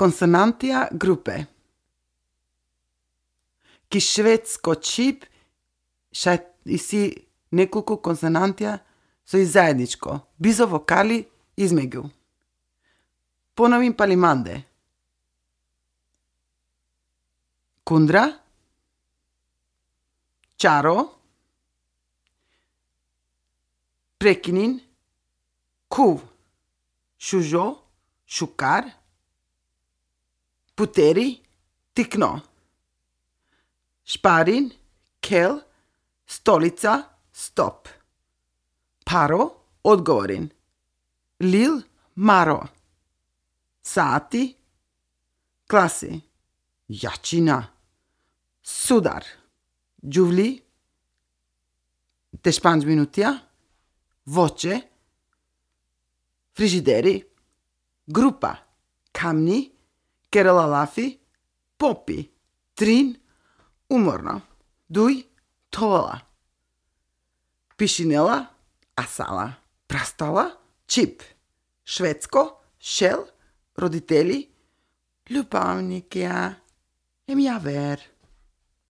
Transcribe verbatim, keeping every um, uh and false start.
Konsonantija grupe. Ki švedsko čhib šaj isi nekoliko konsonantija so i zajedničko, bizo vokali izmegju. Ponovim pali mande. Kundra, čaro, prekinin, kuv, šužo, šukar, puteri, tikno, šparin, kel, stolica, stop, paro, odgovorin, lil, maro, sati, klasi, jačina, sudar, džuvli, te španč minutija, voće, frižideri, grupa, kamni, kerela lafi, popi, trin, umorno, duj, tovala, pišinela, asala, prastala, čip, švedsko, šel, roditelji, ljubavnikja, em javer.